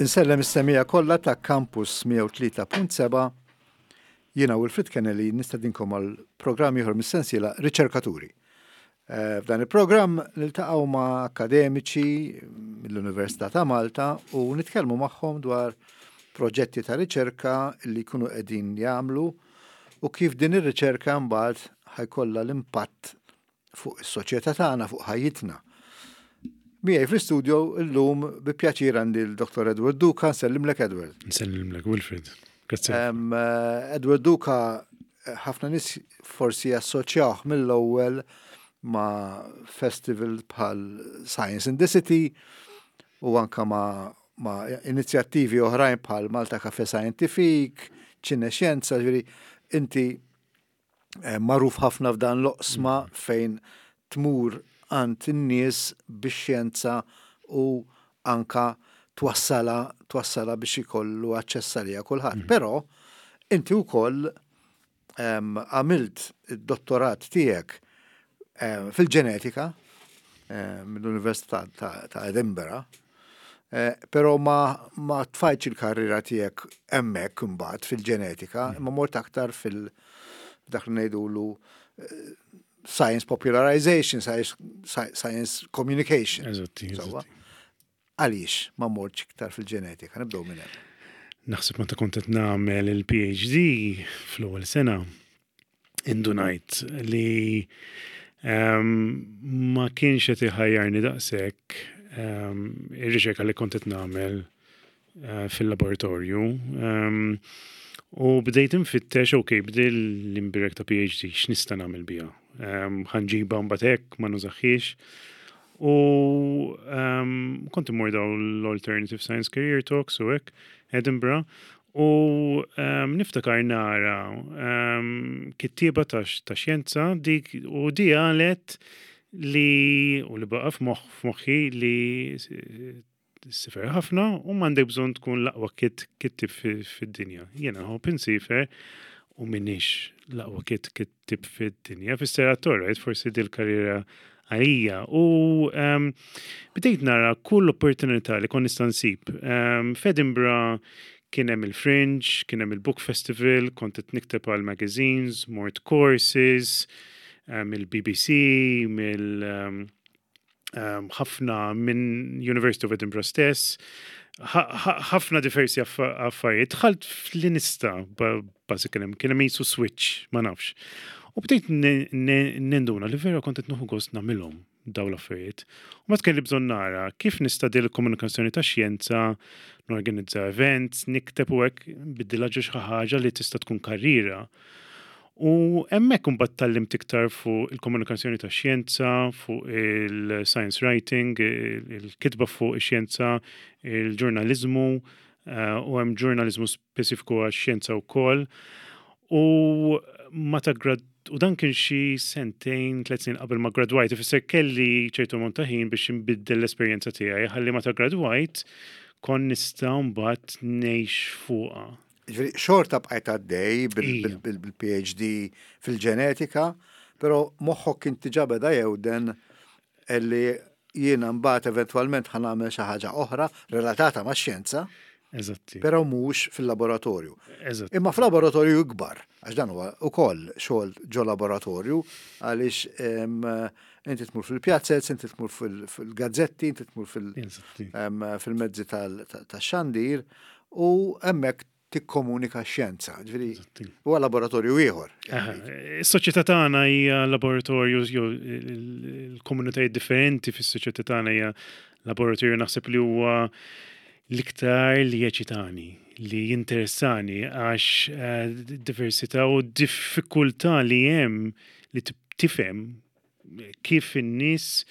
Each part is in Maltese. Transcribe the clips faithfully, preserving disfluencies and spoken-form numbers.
Insellem is-semmiegħa kollha ta' Campus mija u tlieta punt seba'. Jiena Wilfred Kennelly nistedinkom għal programm ieħor mis-sensiela Riċerkaturi. Eh, f'dan il-programm niltaqgħu ma' akademiċi mill-Università ta' Malta u nitkellmu magħhom dwar proġetti ta' riċerka li jkunu qegħdin jagħmlu u kif din ir-riċerka mbagħad ħa jkollha l-impatt fuq is-soċjetà tagħna, fuq ħajjitna. Miegħi fl-istudio illum bi pjaċir għandi l-Dottor Edward Duca. Nsellimlek, Edward. Nsellimlek, Wilfred. Grazzi. Eh, Edward Duca, eh, ħafna nies forsi assoċjawh mill-ewwel ma' festival bħal Science in the City u anka ma' ma' inizjattivi oħrajn bħal Malta Cafe Scientific, Ċine Xjenza, ġifieri inti eh, magħruf ħafna f'dan l-oqsma mm. fejn tmur għand in-nies bix-xjenza u anka twassala twassala biex ikollu aċċess għaliha kulħadd. Mm. Però inti wkoll għamilt id-dottorat tiegħek fil-ġenetika mill-Università ta' Edinburgh, eh, però ma, ma tfajtx il-karriera tiegħek hemmhekk imbagħad fil-ġenetika, mm. imma mort aktar fil- dak li ngħidulu eh, science popularization, science, science communication. Eżatti, Għaliex ma mortx iktar fil-ġenetika? Nibdew minn hemm. Naħseb meta kont qed nagħmel il-P H D fl-ewwel sena, indunajt li um, ma kienx qed iħajjarni daqshekk um, ir-riċerka li kont qed nagħmel uh, fil-laboratorju. Um, u bdejt infittex, ok, bdej l-imbirek ta' P H D, x'nista' nagħmel biha? Ħa nġibha mbagħad hekk ma nużaħiex. U um, kont immur daw l-Alternative Science Career Talks u hekk, Edinburgh, u um, niftakar nara um, kittiba ta' ta' xjenza dik u di qalet li u li baqa' f'moħħi li ssifer ħafna u m'għandek bżonn tkun l-aqwa kit kittib fid-dinja. Jiena nħobb insifer u m'iniex l-aqwa kit kittib fid-dinja. Fisser right, forsi dil-karriera għalija. U um, bdejt nara kull opportunità li kont nista' nsib. Um, F'Edinburgh kien hemm il-Fringe, kien hemm il-Book Festival, kont qed nikteb għal magazines, mort courses, um, il-B B C, mill um, um, ħafna minn University of Edinburgh stess, ħafna diversi affarijiet. Dħalt fl-inista, basically, kien hemm jisu switch, ma nafx. U bdejt ninduna li vera kont qed nieħu gost nagħmilhom daw l-affarijiet. U ma kelli bżonn nara kif nista' dil komunikazzjoni ta' xjenza, norganizza events, nikteb u hekk, biddilha ġo xi ħaġa li tista' tkun karriera. U hemmhekk imbagħad tgħallimt iktar fuq il-komunikazzjoni ta' xjenza, fuq il-science writing, il-kitba fuq ix-xjenza, il-ġurnalizmu, eh, u hemm ġurnalizmu speċifiku għax-xjenza wkoll. U meta grad u dan kien xi sentejn, tliet snin qabel ma gradwajt, ifisser kelli ċertu ammont ta' ħin biex nbiddel l-esperjenza tiegħi, ħalli meta gradwajt kon nista' mbagħad ngħix fuqha. Ġifieri, xorta bqajt għaddej bil-P H D fil-ġenetika, pero moħħok kien diġà beda jewden li jiena mbagħad eventwalment ħa nagħmel xi ħaġa oħra relatata ma' xjenza. Eżatti. Però mhux fil-laboratorju. Eżatt. Imma fil-laboratorju ikbar, għax dan huwa ukoll xogħol ġo laboratorju, għaliex inti tmur fil-pjazzez, inti tmur fil-gazzetti, inti tmur fil-mezzi tax-xandir u hemmhekk tikkomunika x-xjenza. Ġifieri huwa laboratorju ieħor. Is-soċjetà tagħna hija laboratorju, jew il-komunitajiet differenti fis-soċjetà tagħna hija laboratorju. Naħseb li huwa l-iktar li jeċitani, li jinteressani, għax eh, diversità u diffikultà li hemm li tifhem kif in-nies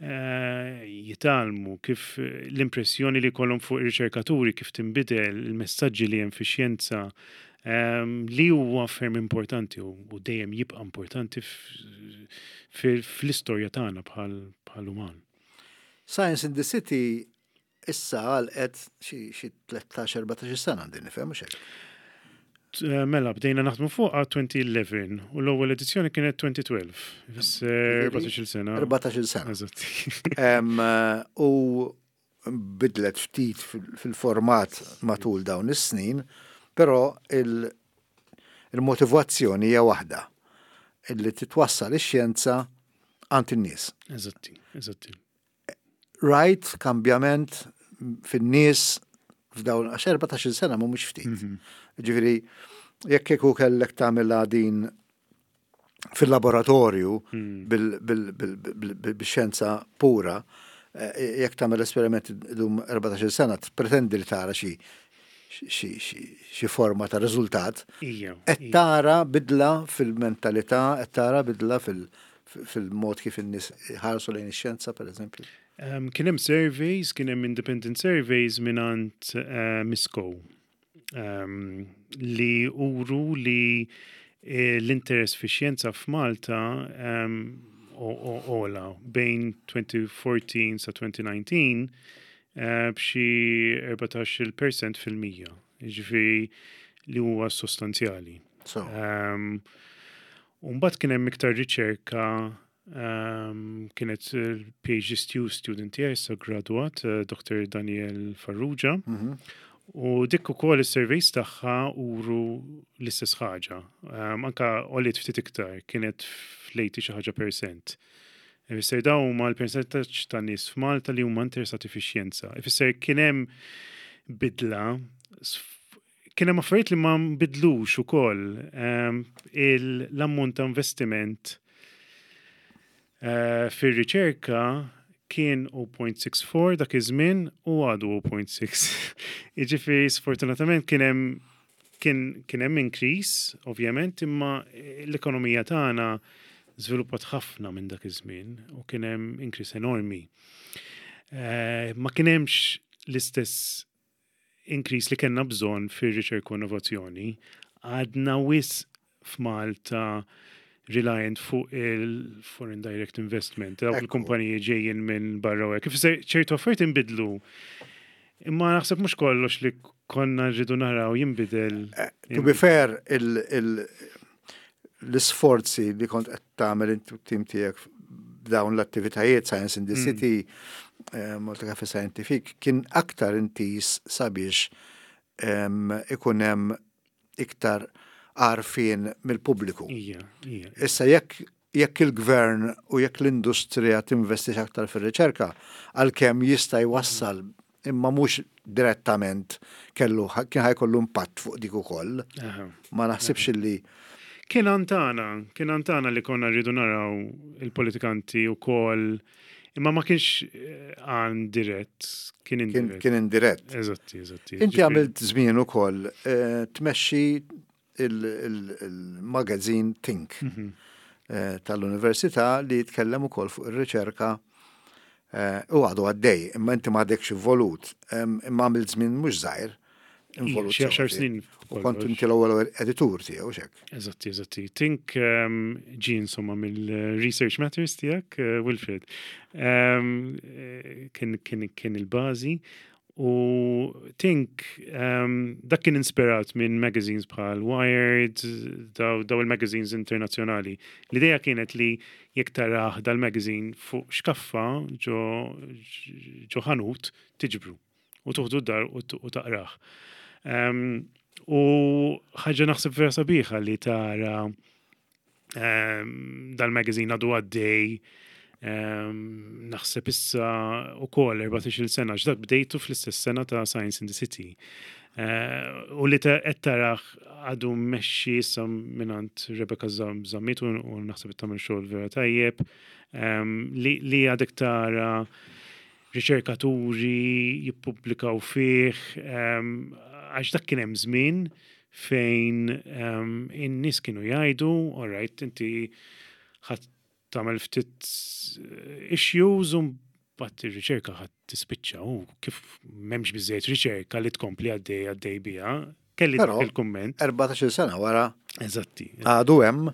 eh, jitgħallmu, kif l-impressjoni li jkollhom fuq ir-riċerkaturi, kif tinbidel, il-messaġġi li hemm fix-xjenza, ehm, li huwa ferm importanti u dejjem jibqa' importanti fl-istorja tagħna bħal uman. Science in the City issa għalqet xi tlettax erbatax sena, għandi nifhem, mhux hekk? Eh, mela, bdejna naħdmu fuq elfejn u għaxra u l-ewwel edizzjoni kienet elfejn u tnax. Fisser erbatax-il sena. erbatax-il sena. Eżatt. U Bidlet ftit fil-format matul dawn is-snin, però il-motivazzjoni hija waħda, illi titwassal ix-xjenza għand in-nies. Eżatti, eżatti. Rajt kambjament fin-nies f'dawn għax erbatax-il sena mhumiex ftit. Mhm. Ġifieri, jekk kieku kellek tagħmilha din fil-laboratorju hmm. bil-xjenza pura, eh, jekk tagħmel esperiment dum erbatax-il sena, pretendi li tara xi xi forma ta' riżultat. Qed tara bidla fil-mentalità, qed tara bidla fil-mod kif in-nies ħarsu lejn ix-xjenza, pereżempju. Um, kien hemm surveys, kien hemm independent surveys mingħand uh, Misco um, li uru li eh, l-interess fi xjenza f'Malta um, għola bejn elfejn u erbatax sa elfejn u dsatax uh, b'xi erbatax-il percent fil-mija. Ġifieri li huwa sostanzjali. So. Um, Mbagħad kien hemm iktar riċerka um, kienet il-P H D student tiegħi issa graduat, uh, Doctor Daniel Farrugia. Mm -hmm. U dik ukoll is-surveys tagħha uru l-istess ħaġa. Um, anka għoliet ftit iktar, kienet fl-tmenin xi ħaġa percent. Ifisser dawn huma l-percentaġġ ta' nies f'Malta li huma interessati fix-xjenza. Ifisser kien hemm bidla, kien hemm affarijiet li ma nbidlux ukoll. Um, L-ammont ta' investiment uh, fir-riċerka kien zero punt sitt erba' dak iż-żmien u għadu zero punt sitt. Jiġifieri sfortunatament kien hemm kien kien hemm increase, ovvjament, imma l-ekonomija tagħna żviluppat ħafna minn dak iż-żmien u kien hemm increase enormi. Eh, ma kien hemmx l-istess increase li kellna bżonn fir-riċerka u innovazzjoni. Għadna wisq f'Malta reliant fuq il-foreign direct investment, dawk Ekku. il-kumpaniji ġejjin minn barra u hekk. Ifisser ċertu affarijiet inbidlu. Imma naħseb mhux kollox li konna rridu naraw jinbidel. To be fair, il- il- l-isforzi li kont qed tagħmel inti u t-tim tiegħek b'dawn l-attivitajiet Science in the City, eh, Malta Cafe Scientific, kien aktar intis sabiex em, ikun hemm iktar għarfien mill-pubbliku. Ija, ija. Issa jekk jekk il-gvern u jekk l-industrija tinvestix aktar fir-riċerka, għalkemm jista' jwassal imma mhux direttament kellu kien ħa jkollu impatt fuq dik ukoll. Aha. Ma naħsibx li Kien antana, kien antana li konna rridu naraw il-politikanti u koll, imma ma kienx eh, għan dirett, kien kien, indirett. kien indirett. Eżatti, eżatti. Inti Ġifieri- għamilt żmien ukoll eh, tmexxi il-magazine Think Mhm. eh, tal-Università li jitkellem ukoll fuq ir-riċerka eh, u għadu għaddej, imma inti m'għadekx involut, em, imma għamilt żmien mhux żgħir involut. Xi għaxar sew snin. U kont inti l-ewwel editur tiegħu xek. Eżatti, eżatti. Think um, ġi insomma mill-Research Matters tiegħek, uh, Wilfred. Um, eh, kien, kien, kien il-bażi. U Think, um, dak kien inspirat minn magazines bħal Wired, daw, daw il-magazines internazzjonali. L-ideja kienet li jekk tarah dal-magazine fuq xkaffa ġo, ġo ħanut tiġbru u tuħdu d-dar u t- u taqrah. Um, u ħaġa naħseb vera sabiħa li tara um, dal-magazine għadu għaddej um, naħseb issa u koll erbatax-il sena, ġdak bdejtu fl-istess sena ta' Science in the City. Uh, u li ta' qed tarah għadu mmexxi issa mingħand Rebecca Zam- Zammit u u naħseb tagħmel xogħol vera tajjeb um, li, li għadek tara riċerkaturi jippubblikaw fih, um, għax dak kien hemm żmien fejn um, in-nies kienu jgħidu, all right, inti ħa tagħmel ftit issues u mbagħad ir-riċerka ħa tispiċċa u kif m'hemmx biżejjed riċerka li tkompli għaddej għaddej biha. Kelli Però- dak il-kumment. erbatax-il sena wara Eżatti. għadu hemm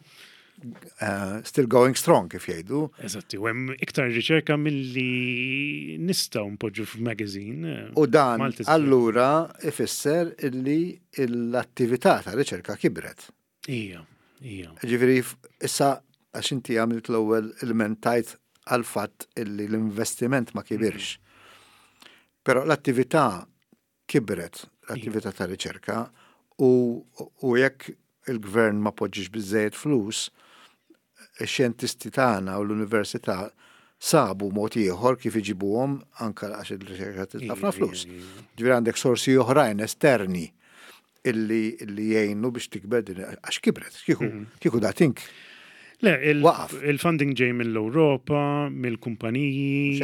eh, still going strong kif jgħidu. Eżatti, u hemm iktar riċerka milli nistgħu npoġġu f'magazine. U dan Malta allura ifisser illi l-attività ta' riċerka kibret. Ija, ija. Ġifieri issa għax inti għamilt l-ewwel ilmentajt għal fatt illi l-investiment ma kibirx. Però l-attività kibret, l-attività ta' riċerka, u, u jekk il-gvern ma poġġix biżejjed flus, ix-xjentisti tagħna u l-università sabu mod ieħor kif iġibuhom, anke għax il-riċerka ħafna flus. Ġifieri għandek sorsi oħrajn esterni illi, illi jgħinu biex tikber din, għax kibret, kieku, mhm. kieku da tink. Le, il-funding ġej mill-Europa, mill-kumpaniji,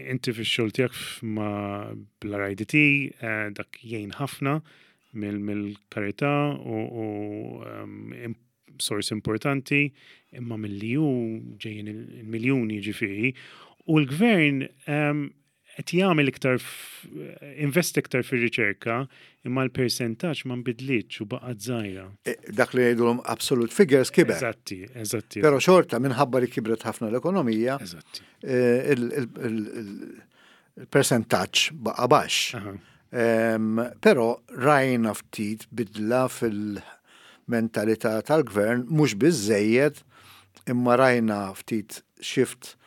inti fix-xogħol tiegħek ma' bl-R I D T, eh, dak jgħin ħafna mill-karità u sors importanti, imma mill-E U ġejjin il-miljuni ġifieri. U l-gvern qed jagħmel iktar, invest iktar fir-riċerka, imma l-persentaġġ ma nbidlitx u baqgħet żgħira. E, dak li jgħidulhom absolute figures kiber. Eżatti, eżatti. Però xorta minħabba li kibret ħafna l-ekonomija, Eżatti. E, il-persentaġġ baqa' baxx. Però rajna ftit bidla fil-mentalità tal-gvern, mhux biżejjed, imma rajna ftit shift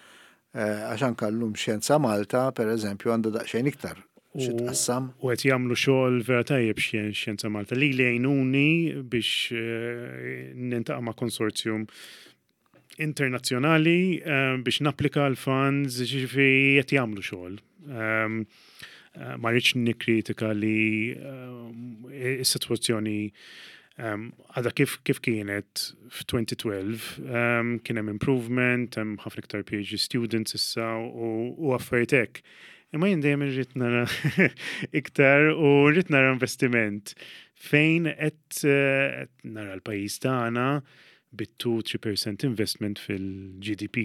eh, għax anka llum Xjenza Malta, per eżempju, għandha daqsxejn iktar xi tqassam. U qed jagħmlu xogħol vera tajjeb Xjenza Malta li li jgħinuni biex eh, niltaqa' ma' konsorzjum internazzjonali eh, biex napplika l-funds, ġifieri qed jagħmlu xogħol. Ehm, eh, ma rridx nikkritika li is-sitwazzjoni għadha kif, kif kienet f'elfejn u tnax, um, kien hemm improvement, hemm ħafna iktar P H D students issa u, u affarijiet hekk. Imma jien dejjem irrid nara iktar u rrid nara investiment fejn qed eh, nara l-pajjiż tagħna bit-tnejn-tlieta fil-mija investment fil-G D P.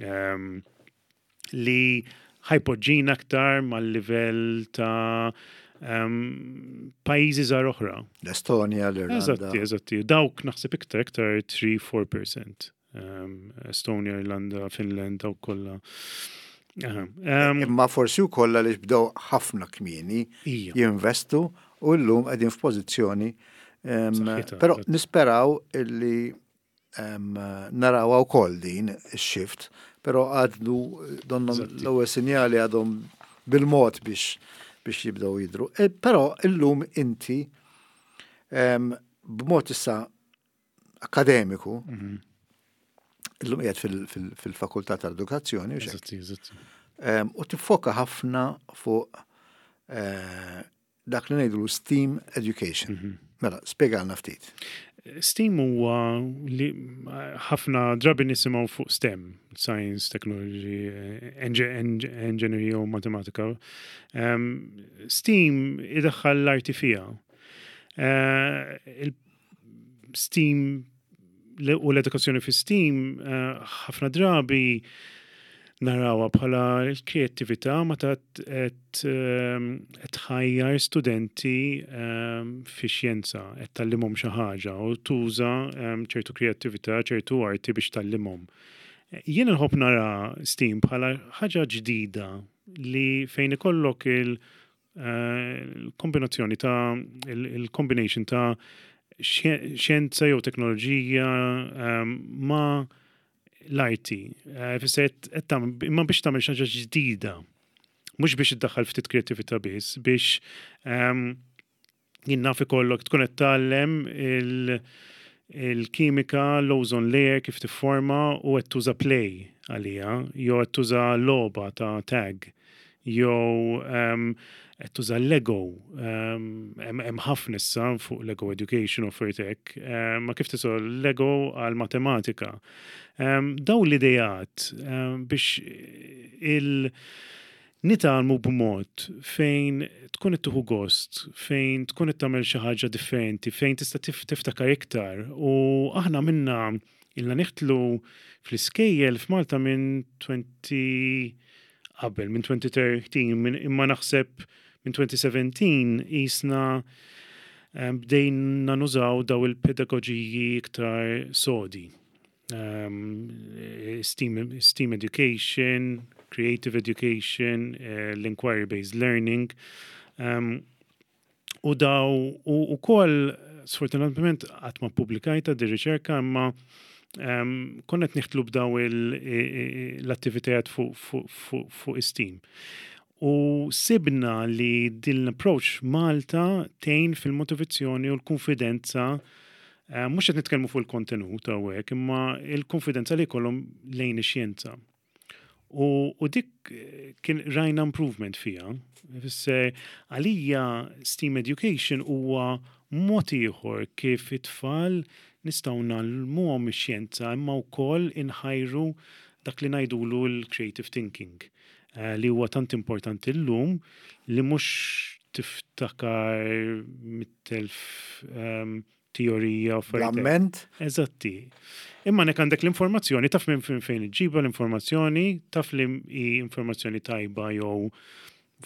Um, li ħa jpoġġina aktar mal-livell ta' um, pajjiżi żgħar oħra. L-Estonja, l-Irlanda. Eżatti, eżatti. Dawk naħseb iktar iktar tlieta-erbgħa fil-mija. Um, Estonia, Irlanda, Finland, dawk kollha. Um, Imma forsi wkoll li bdew ħafna kmieni jinvestu u llum qegħdin f'pożizzjoni. Però nisperaw illi naraw wkoll din ix-shift, però għadu donnhom l-ewwel sinjali għadhom bil-mod biex biex jibdew jidru. E, però illum inti b'mod issa akademiku, mhm. illum qiegħed fil-Fakultà tal-Edukazzjoni, u tiffoka ħafna fuq eh, dak li ngħidu STEAM education. Mhm. Mela, spjegalna ftit. STEAM huwa li ħafna drabi nisimgħu fuq STEM, Science, Technology, Engineering u Matematika. Um, STEAM idaħħal l-arti fija. Uh, STEAM u l-edukazzjoni fi STEAM uh, ħafna drabi narawha bħala l-kreattività meta qed ehm, tħajjar studenti ehm, fi xjenza, qed tgħallimhom xi ħaġa u tuża ehm, ċertu kreattività, ċertu arti biex tgħallimhom. Jien nħobb nara STEAM bħala ħaġa ġdida li fejn ikollok il-kombinazzjoni eh, ta' il-combination ta' xjenza jew teknoloġija ma' l-arti. Eh, fisser imma biex tagħmel xi ħaġa ġdida. Mhux biex iddaħħal ftit kreatività biss, biex ehm, jien naf ikollok tkun qed tgħallem il-kimika, l-ozone layer kif tifforma u qed tuża play għalija, jew qed tuża logħba ta' tag, jew ehm, qed tuża Lego, hemm ħafna issa fuq Lego Education u hekk, ma kif tuża Lego għal matematika. Daw l-idejat biex il- nitgħallmu b'mod fejn tkun qed tieħu gost, fejn tkun qed tagħmel xi ħaġa differenti, fejn tista' tiftakar iktar. U aħna minna ilna niħtlu fl-iskejjel f'Malta minn twenty qabel, minn elfejn u tlettax, imma naħseb minn elfejn u sbatax jisna bdejna nużaw daw il-pedagoġiji iktar sodi. Um, STEAM, STEAM education, creative education, uh, l-inquiry-based learning. Um, u daw, u, u koll, sfortunatament, għad ma ppubblikajtha di riċerka, imma um, konna neħtlu b'daw l-attivitajiet fuq fu, fu, fu STEAM. U sibna li din l-approach Malta tgħin fil-motivazzjoni u l-konfidenza, eh, mhux qed nitkellmu fuq il-kontenut hawnhekk, imma il-konfidenza li jkollhom lejn ix-xjenza. U, u dik eh, kien rajna improvement fija. Ifisser, għalija STEAM education huwa mod ieħor kif it-tfal nistgħu ngħallmuhom ix-xjenza, imma wkoll inħajru dak li ngħidulu l-creative thinking eh, li huwa tant importanti llum, li mhux tiftakar mitt elf um, teorija u affarijiet hekk. L-amment. Eżatti. Imma nek għandek l-informazzjoni, taf minn fejn fejn iġġibha l-informazzjoni, taf li hi informazzjoni tajba jew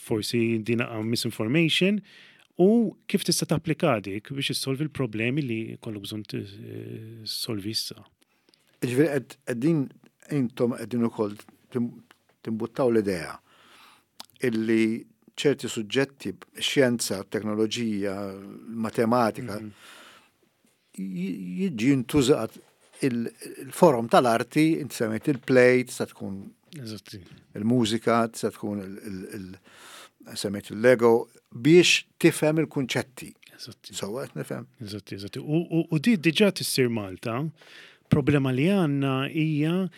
forsi din misinformation, u kif tista' tapplika dik biex issolvi l-problemi li kollok bżonn tissolvi issa. Ġifieri qegħdin intom qegħdin ukoll tim- timbuttaw l-idea illi ċerti suġġetti, xjenza, teknoloġija, matematika, j- jiġi ntużat il-forum tal-arti, inti semmejt il-play, tista' tkun Eżatti. il-mużika, tista' tkun il- il- il- semmejt il-Lego, biex tifhem il-kunċetti. Eżatti. So, qed nifhem. Eżatti, eżatti. U, u, u di diġà tissir Malta. Problema li għandna hija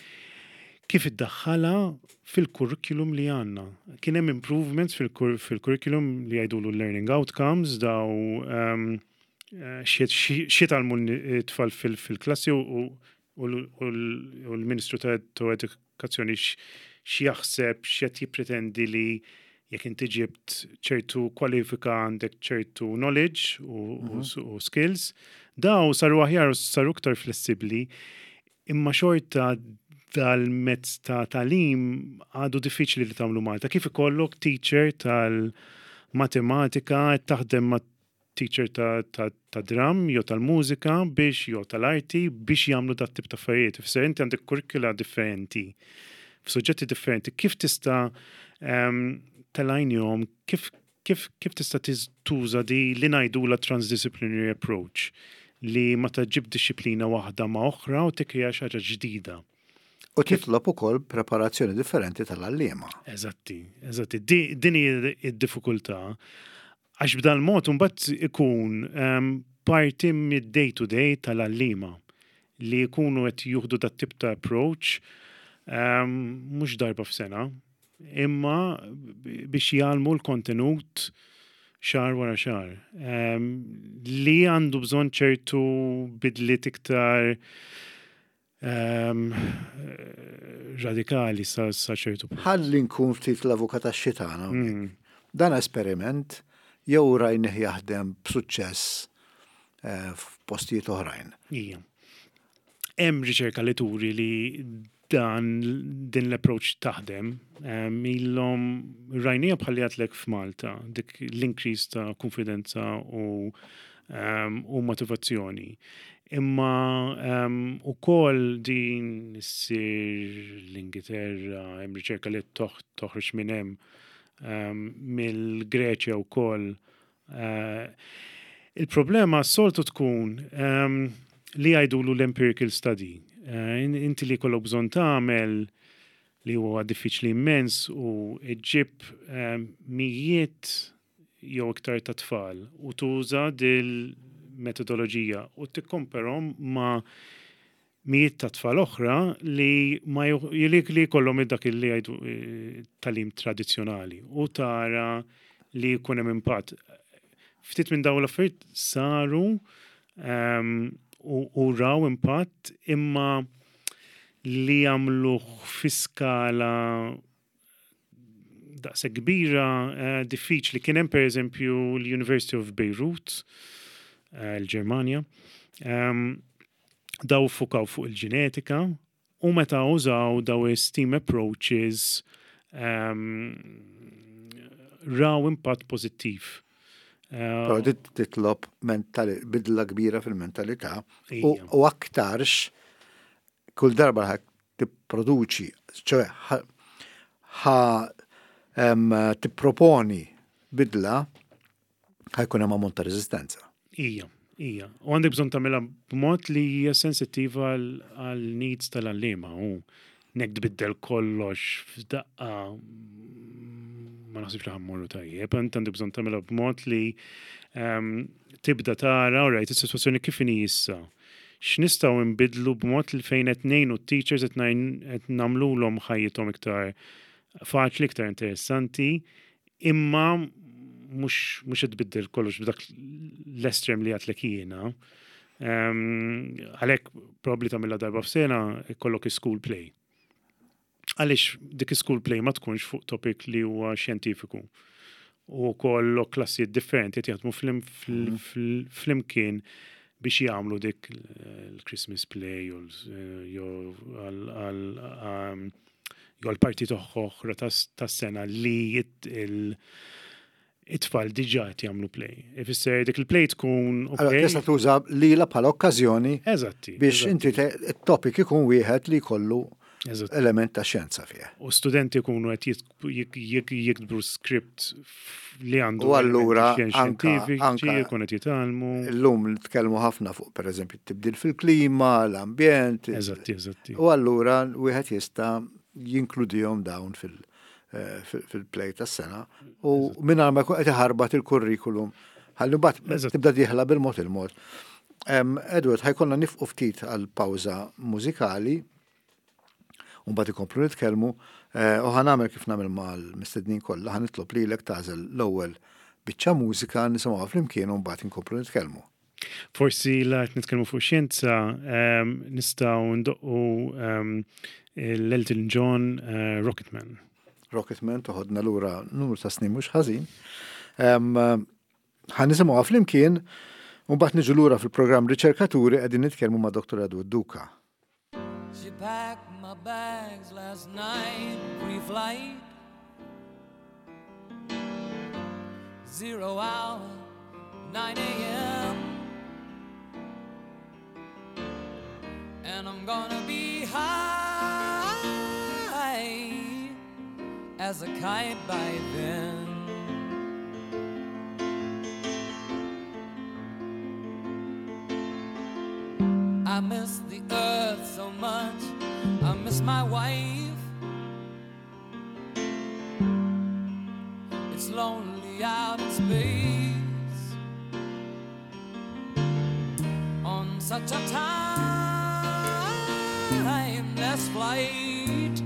kif iddaħħala fil-curriculum li għandna. Kien hemm improvements fil-cur- fil-curriculum li jgħidulu learning outcomes, daw um, x'jitgħallmu t-tfal fil-klassi u, u, u l- u l-Ministru ta' ta' Edukazzjoni x- x'jaħseb, x'qed jippretendi li jekk inti ġibt ċertu kwalifika għandek ċertu knowledge u, u, u skills, daw saru aħjar u saru iktar flessibli, imma xorta dal-mezz ta' tagħlim għadu diffiċli li tagħmlu Malta. Kif ikollok teacher tal-matematika taħdem ma' teacher ta', ta, ta' drum jew tal-mużika biex jew tal-arti biex jagħmlu dat tip ta' affarijiet. Ifisser inti għandek kurrikula differenti, f'suġġetti differenti. Kif tista' um, tal-għajnjom, kif, kif, kif tista' tiż- tuża di li ngħidula transdisciplinary approach, li ma taġib disciplina waħda ma' oħra u tikkrea xi ħaġa ġdida? U titlob ukoll preparazzjoni differenti tal-għalliema. Eżatti, eżatti. Di, din hi id-diffikultà. Għax b'dal mod mbagħad ikun um, parti mid-day to day tal-għalliema li jkunu qed juħdu dat tip ta' approach um, mhux darba f'sena, imma biex jgħallmu l-kontenut xahar wara xahar. Um, li għandu bżonn ċertu bidliet iktar um, radikali sa, sa ċertu punt. Ħalli nkun ftit l-avukat tax-xitan. Mm. Dan esperiment jew rajnih jaħdem b'suċċess eh, f'postijiet oħrajn? Ija. Hemm riċerka li turi li dan din l-approach taħdem. Em, Ilhom rajnija bħalli għedtlek f'Malta, dik l-increase ta' konfidenza u, um, u motivazzjoni. Imma um, u koll din issir l-Ingilterra, hemm riċerka li toħ, toħroġ minn hemm, um, mill-Greċja u koll. Uh, il-problema soltu tkun um, li jgħidulu l-empirical study. Uh, inti li kollok bżonn tagħmel, li huwa diffiċli immens, u iġġib um, mijiet jew iktar ta' tfal u tuża dil metodoloġija u tikkomparahom ma' mijiet ta' tfal oħra li ma li, li kollhom dak li jgħidu eh, tagħlim tradizzjonali u tara li jkun hemm impatt. Ftit minn dawn l-affarijiet saru um, u, u raw impatt, imma li jagħmluh fi skala daqshekk kbira uh, diffiċli. Kien hemm, pereżempju, l-University of Beirut, uh, l-Ġermanja, um, daw fukaw fuq il-ġenetika u meta użaw daw STEAM approaches um, raw impatt pożittiv. Uh, Però dit titlob mentali, bidla kbira fil-mentalità u, Ija. u aktarx kull darba ħa tipproduċi, ċoè ħa ħa, em, tipproponi bidla, ħa jkun hemm ammont ta' reżistenza. Ija, ija. U għandek bżonn tagħmilha b'mod li hija sensittiva għal għal needs tal-għalliema u nek tbiddel kollox f'daqqa ma naħsibx li ħa mmorru tajjeb, int għandek bżonn tagħmilha b'mod li ehm, tibda tara, rajt is-sitwazzjoni kif inhi issa. X'nistgħu nbidlu b'mod li fejn qed ngħinu t-teachers qed ngħin- qed nagħmluhom ħajjithom iktar faċli, iktar interessanti, imma mhux mhux qed tbiddel kollox b'dak l-estrem li għedtlek jiena. Ehm, Għalhekk probabbli tagħmilha darba f'sena ikollok school play. Għaliex dik school play ma tkunx fuq topic li huwa xjentifiku. U kollok klassijiet differenti qed jaħdmu flim- fl- fl- flimkien biex jagħmlu dik il-Christmas play jew l- jew għal- għal- um, jew għal parti oħra tas-sena li it- il- it-tfal diġà qed jagħmlu play. Ifisser dik il-play tkun Allora, ok. tista' tuża lila bħala okkażjoni Eżatti. biex eżatti, inti te- it-topic ikun wieħed li jkollu eżatti. element ta' xjenza fih. U studenti jkunu qed jit- jik- jik- jiktbu script f- li għandu U allura elementi anka- xjentifiċi, anka- jkunu qed jitgħallmu. Illum nitkellmu ħafna fuq pereżempju t-tibdil fil-klima, l-ambjent. Eżatti, eżatti. U allura wieħed jista' jinkludihom dawn fil- eh, fil- fil-play tas-sena u mingħajr ma jkun qed iħarbat il-kurrikulum. Ħalli mbagħad Eżatt. tibda dieħla bil-mod il-mod. Em, Edward, ħa jkollna nieqfu ftit għal pawża mużikali u mbagħad ikomplu nitkellmu eh, u ħa nagħmel kif nagħmel mal-mistednin kollha, ħa nitlob lilek tagħżel l-ewwel biċċa mużika nisimgħuha flimkien u mbagħad inkomplu nitkellmu. Forsi la qed nitkellmu fuq xjenza, em, nistgħu ndoqqu em, l-Elton John eh, Rocketman. Rocketman toħodna lura numru ta' snin mhux ħażin. Em, Ħa nisimgħuha flimkien u mbagħad niġu lura fil-programm Riċerkaturi qegħdin nitkellmu ma' Dr. Edward Duca. She packed my bags last night, pre-flight. Zero hour, nine a.m. And I'm gonna be high as a kite by then. I miss the earth so much. I miss my wife. It's lonely out in space on such a timeless flight.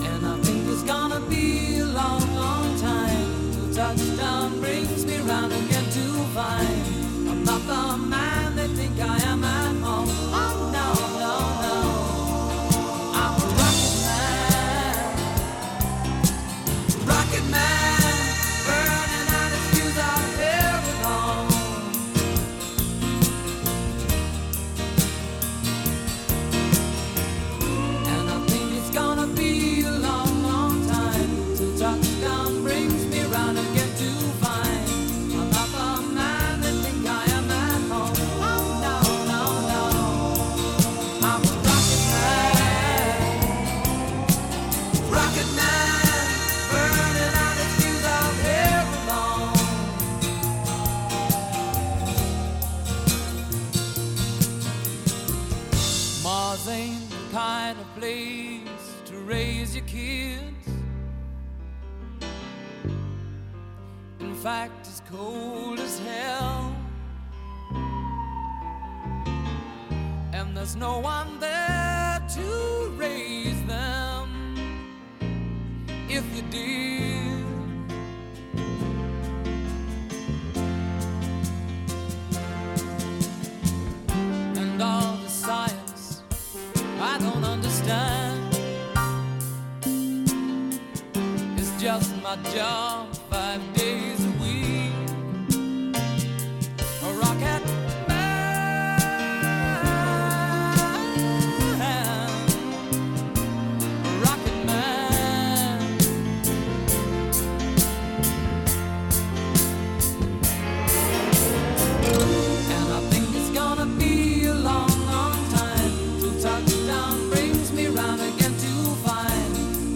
And I think it's gonna be a long, long time till touchdown brings me round again to find I'm not the man they think I am at home. Oh no, no, no. I'm a rocket man. Rocket man, burning out his fuse out here alone. And I think it's gonna be a long, long time till touchdown brings me round again to find I'm not the man they think I am at home. Oh no, no, no. I'm a rocket man. Rocket man, burning out his fuse out here alone. Mars ain't the kind of place to raise your kids. In fact, it's cold as hell. And there's no one there to raise them if you did. And all the science I don't understand. It's just my job five days a week. A rocket man. A rocket man. And I think it's gonna be a long, long time till touchdown brings me round again to find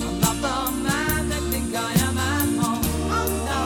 I'm not the man they think I am at home. Oh no,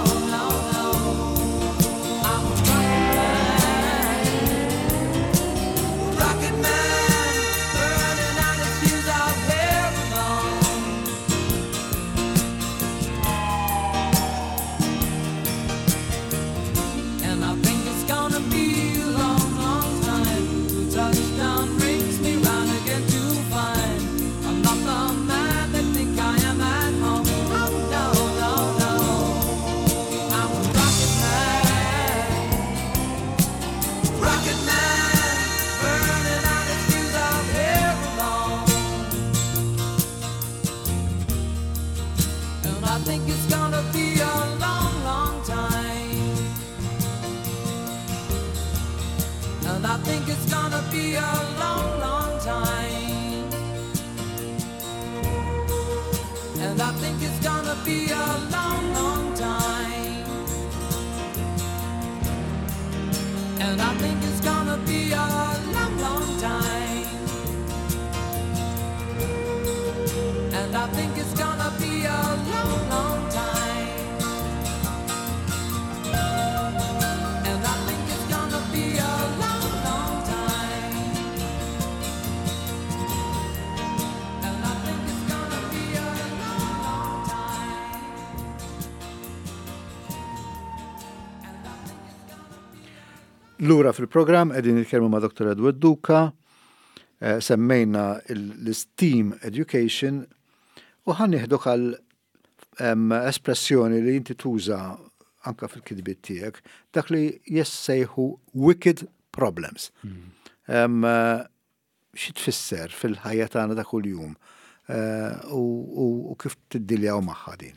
think it's gonna be a long, long time. And I think it's gonna be a long, long time. And I think it's gonna be a long, long time. And I think it's gonna be a long, long time. And I think it's gonna be a long, long time. And I think it's gonna be a long, long time. And I think it's gonna be a long, long time. And I think it's gonna be Lura fil-programm qegħdin nitkellmu ma' Dottor Edward Duca, eh, semmejna l-STEAM Education u ħa nieħduk għal em, espressjoni li inti tuża anka fil-kitbiet tiegħek, dak li jissejħu wicked problems. Em, eh, Xi tfisser fil-ħajja tagħna ta' kuljum eh, u, u, u kif tiddiljaw magħha din?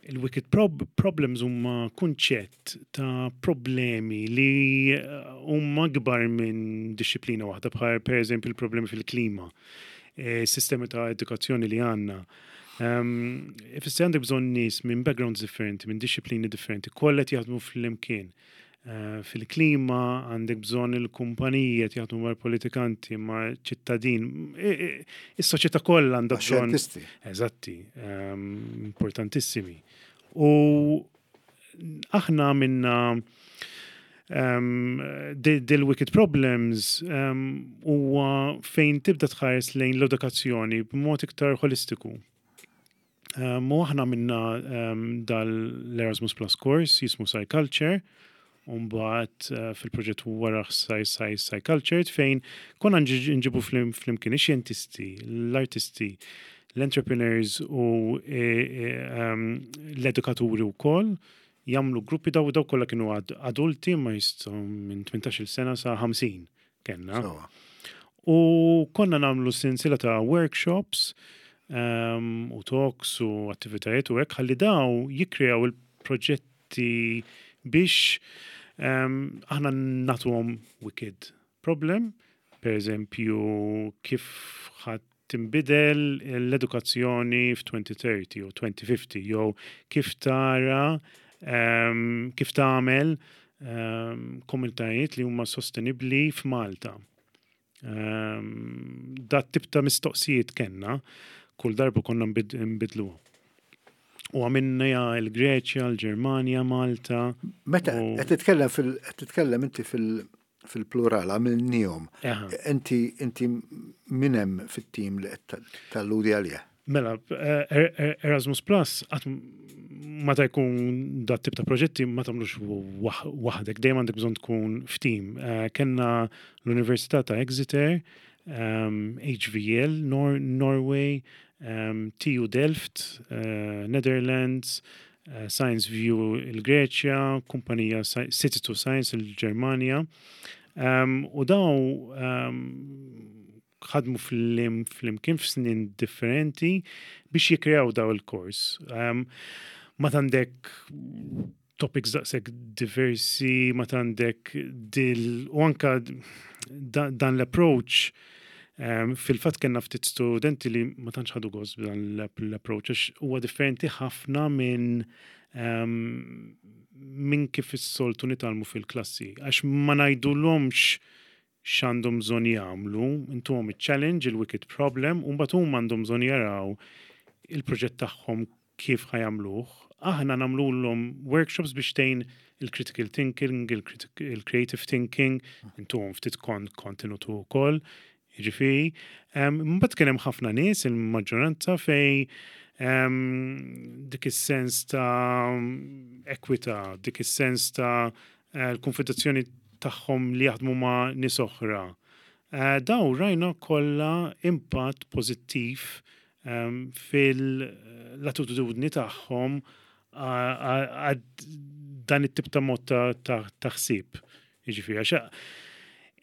Il-wicked prob problems huma kunċett ta' problemi li eh, huma kbar minn dixxiplina waħda, bħal per eżempju il-problemi fil-klima, eh, sistemi ta' edukazzjoni li għandna. Um, Ifisser għandek bżonn nies minn backgrounds differenti, minn dixxiplini differenti, kollha qed jaħdmu fl-imkien. Uh, fil-klima għandek bżonn il-kumpaniji qed jaħdmu mal-politikanti, ma' ċittadin. Is-soċjetà kollha għandha bżonn. Xjentisti. Eżatti, um, importantissimi. U aħna minna um, dil-wicked problems um, huwa fejn tibda tħares lejn l-edukazzjoni b'mod iktar holistiku. Um, u aħna minna um, dal-Erasmus Plus course jismu Culture, Umbagħad uh, fil-proġett wara Sci Sci Sci Culture fejn konna nġibu flimkien ix-xjentisti, l-artisti, l-entrepreneurs u e, e, um, l-edukaturi u koll jagħmlu gruppi daw daw kollha kienu adulti ma jistgħu minn tmintax-il sena sa ħamsin kellna. U konna nagħmlu sinsila ta' workshops um, u talks u attivitajiet u hekk ħalli daw jikkreaw il-proġetti biex um, aħna nagħtuhom wicked problem, per eżempju, kif ħa tinbidel l-edukazzjoni f'elfejn u tletin u elfejn u ħamsin, jew kif tara um, kif tagħmel um, komunitajiet li huma sostenibbli f'Malta. Um, dat tip ta' mistoqsijiet kellna, kull darba konna nbidluha. U għamilna il-Greċja, l-Ġermanja, Malta. Meta qed titkellem fil qed titkellem inti fil fil-plural għamilnihom. Inti inti min hemm fit-tim li qed talludi għalih? Mela, eh, er, Erasmus Plus meta jkun dat tip ta' proġetti ma tagħmlux waħdek, dejjem għandek bżonn tkun f'tim. Eh, kellna l-Università ta' Exeter, H V L Nor Norway, um, T U Delft, uh, Netherlands, uh, Science View il-Greċja, kumpanija City to Science il-Ġermanja. Um, u daw um, ħadmu flimkien f'snin differenti biex jikreaw daw il-kors. Um, ma għandek topics daqshekk diversi, ma għandek dil u anka dan l-approach. Um, fil-fatt kellna ftit studenti li ma tantx ħadu gost b'dan l-approach għax huwa differenti ħafna minn um, minn kif is-soltu nitgħallmu fil-klassi. Għax ma ngħidulhomx x'għandhom bżonn jagħmlu, intuhom il-challenge, il-wicked problem, u mbagħad huma għandhom bżonn jaraw il-proġett tagħhom kif ħa jagħmluh. Aħna nagħmluhom workshops biex tgħin il-critical thinking, il-creative thinking, intuhom ftit kontenut ukoll. Jiġifieri, mbagħad kien hemm ħafna nies, il-maġġoranza fej dik is-sens ta' ekwità, dik is-sens ta' eh, l-konfederazzjoni tagħhom li jaħdmu ma' nies oħra. Eh, daw rajna kollha impatt pożittiv fil-attitudni tagħhom għad dan it-tip ta' mod ta' ħsieb. Jiġifieri, għax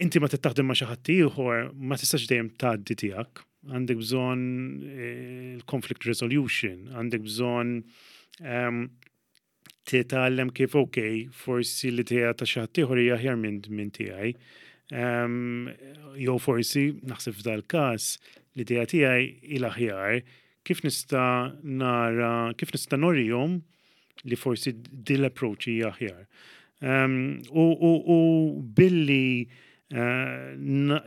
inti ma taħdem ma' xi ħadd ieħor ma tistax dejjem tgħaddi tiegħek. Għandek bżonn eh, il-conflict resolution, għandek bżonn Um, titgħallem kif, ok, forsi l-idea ta' xi ħadd ieħor hija aħjar minn min tiegħi. Um, jew forsi naħseb f'dal każ l-idea tiegħi il-aħjar, kif nista' nara, kif nista' norihom li forsi din l-approach hija aħjar. Um, u, u, u billi uh, na,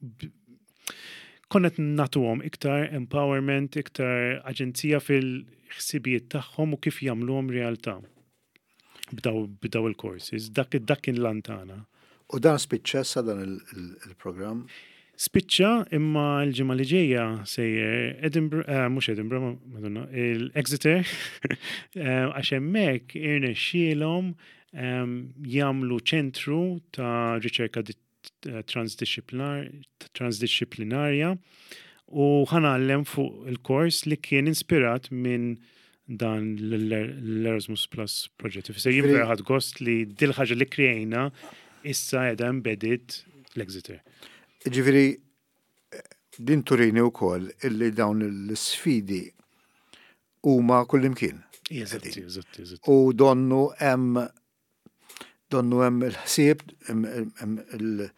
b- konna nagħtuhom iktar empowerment, iktar aġenzija fil-ħsibijiet tagħhom u kif jagħmluhom realtà b'daw, b'daw il-courses. Dak, dak kien l-għan tagħna. U dan spiċċa sa dan il- il- il-programm? Spiċċa, imma l-ġimgħa li ġejja sejjer Edinburgh, eh, mhux Edinburgh, ma- Madonna, il-Exeter, eh, għax hemmhekk irnexxielhom em, jagħmlu ċentru ta' riċerka di- eh, transdisciplinar, transdisciplinarja u ħa ngħallem fuq il-kors li kien inspirat minn dan l-Erasmus Plus project. Ifisser jien Ġifieri- vera ħadt gost li dil-ħaġa li krejna issa qiegħda embedded l-Exeter. Ġifieri, din turini wkoll illi dawn l-sfidi huma kullimkien. Eżatti, eżatti, eżatti. U donnu hemm donnu hemm il-ħsieb, hemm- hemm il-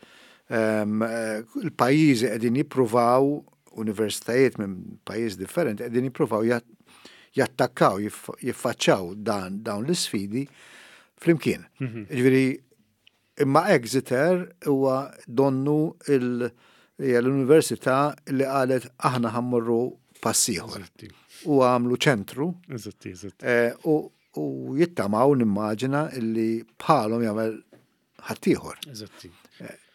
hemm, eh, il-pajjiżi qegħdin jippruvaw, universitajiet minn pajjiż differenti qegħdin jippruvaw jat- jattakkaw, jiff- jiffaċċaw dan dawn l-isfidi flimkien. Ġifieri, imma Exeter huwa donnu il- hija l-università li qalet aħna ħa mmorru pass ieħor. Eżatti, U għamlu ċentru eżatti, eżatti. eh, u, u jittamaw, nimmaġina, illi bħalhom jagħmel ħaddieħor. Eżatti.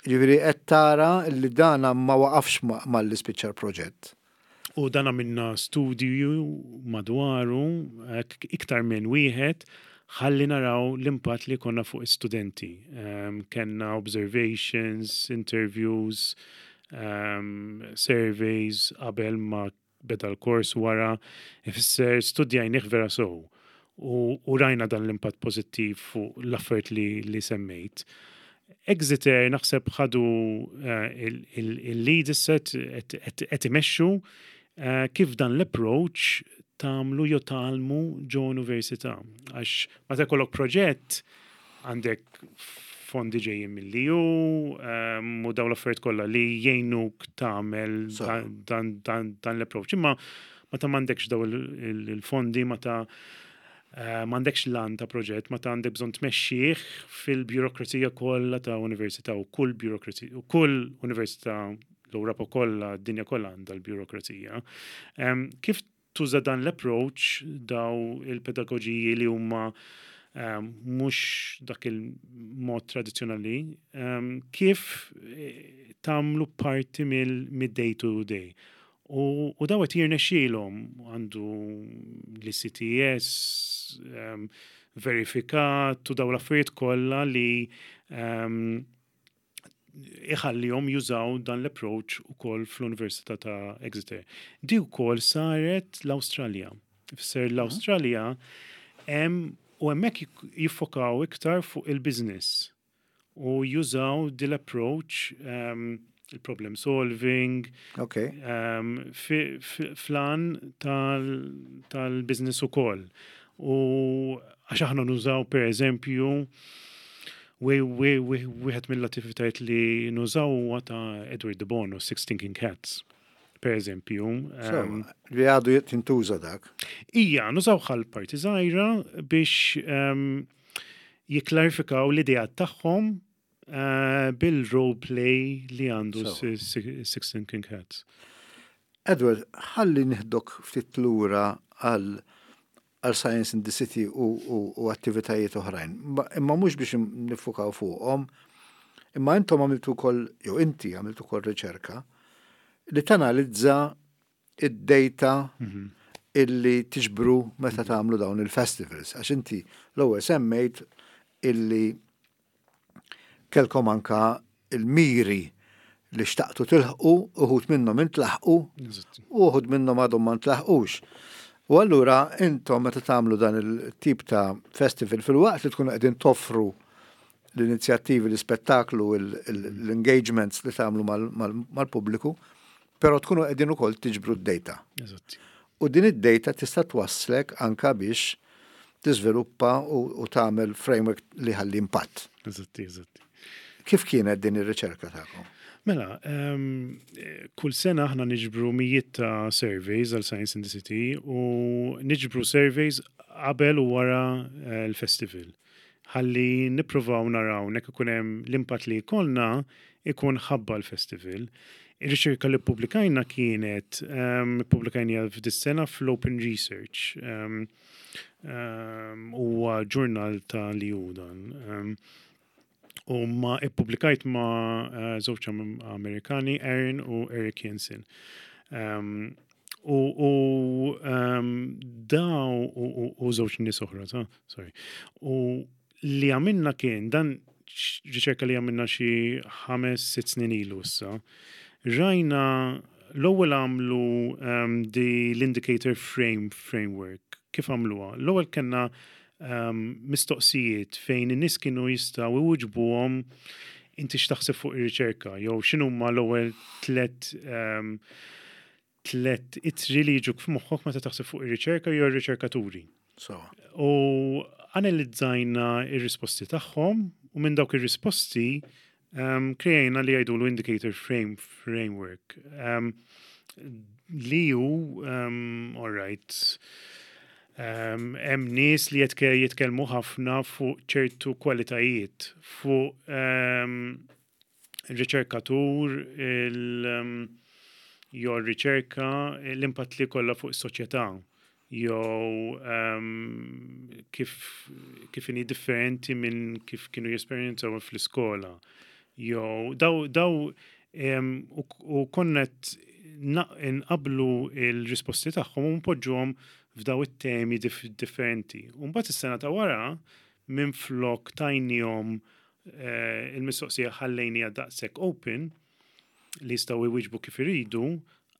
Ġifieri qed tara li dana ma waqafx ma- malli spiċċa l-proġett. U dan għamilna studju madwaru, eh, iktar minn wieħed, ħalli naraw l-impatt li konna fuq studenti. Um, kenna observations, interviews, um, surveys qabel ma beda l-kors, wara, ifisser studjajnih vera sew. U, u rajna dan l-impatt pozittiv fuq l-affarijiet li, li semmejt. Exeter naħseb ħadu uh, il-lead set, qed imexxu uh, kif dan l-approach tagħmlu jew tgħallmu ġo università. Għax meta jkollok proġett, għandek fondi ġejjin mill-E U um, u dawn l-affarijiet kollha li jgħinuk tagħmel So. dan, dan, dan, dan l-approach. Imma meta m'għandekx daw il- il- il-fondi, meta uh, m'għandekx lan ta' proġett, meta għandek bżonn tmexxih fil-birokrazija kollha ta' università, u kull birokrazija u kull università, l-Ewropa kollha, d-dinja kollha għandha l-birokrazija. Um, kif tuża dan l-approach, daw il-pedagogiji li huma um, mhux dak il-mod tradizzjonali, um, kif eh, tagħmlu parti mill-day to day? U, u daw qed jirnexxielhom, għandu l-E C T S um, verifikat u daw l-affarijiet kollha li um, iħallihom jużaw dan l-approach ukoll fl-Università ta' Exeter. Di wkoll saret l-Awstralja. Ifisser l-Awstralja hemm u hemmhekk jik- jiffokaw iktar fuq il-business u jużaw dil approach, um, il-problem solving, Ok. um, fi, fi, flan tal- tal-business ukoll. U għax aħna nużaw, per eżempju, wieħed mill-attivitajiet li nużaw huwa ta' Edward de Bono, Six Thinking Cats, per eżempju. So, Um, li għadu tintuża dak. Ija, nużaw ħal parti żgħira biex um, jiklarifikaw l-idea tagħhom uh, bil-role play li għandu So. Six Thinking Cats. Edward, ħalli nieħdok ftit lura għal għal Science in the City u, u, u attivitajiet oħrajn. Ma- Imma mhux biex nifukaw fuqhom, imma intom għamiltu wkoll, jew inti għamiltu wkoll riċerka li tanalizza id-data illi tiġbru meta tagħmlu dawn il-festivals. Għax inti l-ewwel semmejt illi kellkom anka il-miri li xtaqtu tilħqu, uħud minnhom intlaħqu u uħud minnhom għadhom ma ntlaħqux. U allura intom meta tagħmlu dan il-tip ta' festival, fil-waqt li tkunu qegħdin toffru l-inizjattivi, l-ispettaklu, l-engagements li tagħmlu mal-pubbliku, però tkunu qegħdin ukoll tiġbru d-data. Eżatti. U din id-data tista' twasslek anka biex tiżviluppa u, u tagħmel framework li ħalli impatt. Eżatti, eżatti. Kif kienet din ir-riċerka tagħkom? Mela, um, kull sena aħna niġbru mijiet ta' surveys għal Science in the City u niġbru surveys qabel u wara eh, l-festival. Ħalli nippruvaw naraw nek ikun hemm l-impatt li jkollna ikun ħabba l-festival. Ir-riċerka li ppubblikajna kienet um, ppubblikajna f'dis-sena fl-Open Research. Um, um, huwa ġurnal ta' li hu dan. Um, u ma ippubblikajt ma uh, żewġ Amerikani, Aaron u Eric Jensen. Um, u u um, daw u, u, u żewġ nies oħra, ta' sorry. U li għamilna kien dan riċerka li għamilna xi ħames, sitt snin ilu issa. Rajna l-ewwel għamlu um, di l-indicator frame framework. Kif għamluha? L-ewwel kellna um, mistoqsijiet fejn in-nies kienu jistgħu iwiġbuhom inti x'taħseb fuq ir-riċerka jew x'inhuma l-ewwel tlet um, tlet ittri li jiġuk f'moħħok meta taħseb fuq ir-riċerka jew ir-riċerkaturi. So, U analizzajna ir-risposti tagħhom u minn dawk ir-risposti um, krejna li jgħidulu indicator frame framework. Um, li hu, um, all right, um, hemm nies li jitke, jitkellmu ħafna fuq ċertu kwalitajiet, fuq um, riċerkatur, il, um, jew riċerka, l-impatt li kollha fuq is-soċjetà jew um, kif kif inhi differenti minn kif kienu jesperjenzaw fl-iskola. Jew daw daw um, u, u konna nqablu il-risposti tagħhom u npoġġuhom f'daw it-temi dif differenti. U mbagħad is-sena ta' wara minn flok tajnihom eh, il-mistoqsija ħallejnija daqshekk open li jistgħu jwieġbu kif iridu,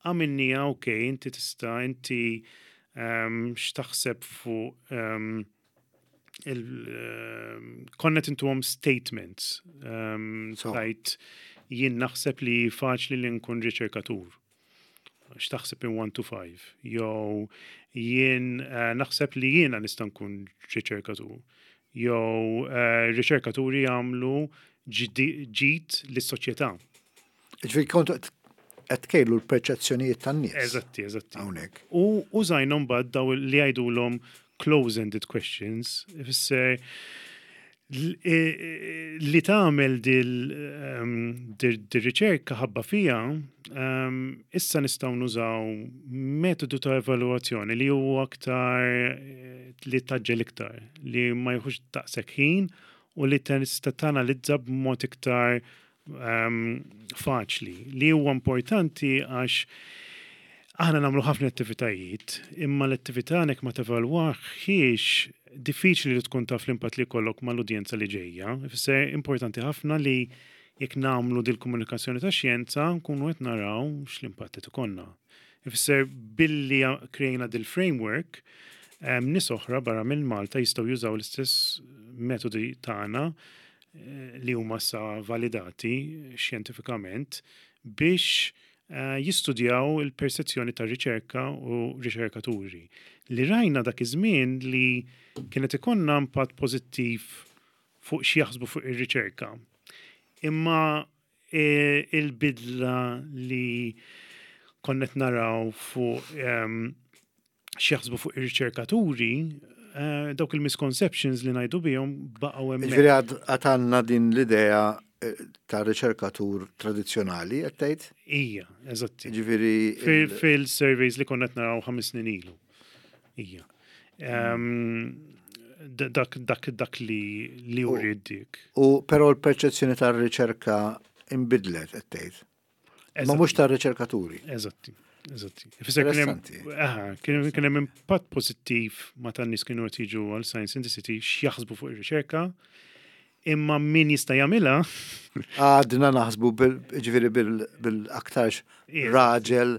għamilnija ok, inti tista' inti um, x'taħseb fuq um, il, um, konna intuhom statements. Um, So. Tajt jien naħseb li faċli li nkun riċerkatur. X'taħseb in one to five. Jew jien uh, naħseb li jiena nista' nkun riċerkatur. Jew uh, riċerkaturi jagħmlu ġidi- ġid lis-soċjetà. Ġifieri kontu qed tkejlu l-perċezzjonijiet tan-nies. Eżatti, eżatti. Hawnhekk. U użajna mbagħad daw li jgħidulhom close-ended questions, ifisser l- e- e- li tagħmel dil um, dir-riċerka ħabba fija, um, issa nistgħu nużaw metodu ta' evalwazzjoni li huwa aktar eh, li taġġel iktar, li ma jieħux daqshekk ħin u li tista' tanalizza b'mod iktar um, faċli. Li huwa importanti għax aħna nagħmlu ħafna attivitajiet, imma l-attività nek ma tevalwaħiex diffiċli li tkun taf l-impatt li jkollok mal-udjenza li ġejja. Ifisser importanti ħafna li jekk nagħmlu dil-komunikazzjoni ta' xjenza nkunu qed naraw x'l-impatt qed ikollna. Ifisser billi krejna dil-framework, em, nies oħra barra minn Malta jistgħu jużaw l-istess metodi tagħna eh, li huma sa validati xjentifikament biex eh, jistudjaw il-persezzjoni ta' riċerka u riċerkaturi. Li rajna dak iż-żmien li kienet ikollna impatt pożittiv fuq xi jaħsbu fuq ir-riċerka. Imma eh, il-bidla li konnet naraw fuq um, x'jaħsbu fuq ir-riċerkaturi, eh, dawk il-misconceptions li ngħidu bihom baqgħu hemmhekk. Ġifieri għad għandna din l-idea eh, ta' riċerkatur tradizzjonali, qed tgħid? Ija, eżatti. Ġifieri Fil- Fil-surveys li konna qed naraw ħames snin ilu. Ija. Um, dak, dak, dak li li U- uriet dik. U però l-perċezzjoni tar-riċerka imbidlet qed tgħid. Ma Eżatti. mhux tar-riċerkaturi. Eżatti, eżatti. Ifisser kien hemm- Interessanti. Aha, kien kien hemm impatt pożittiv ma tan-nies kienu qed jiġu għal Science in the City x'jaħsbu fuq ir-riċerka, imma min jista' jagħmilha Għadna naħsbu bil- ġifieri bil- bil-aktarx Yes. raġel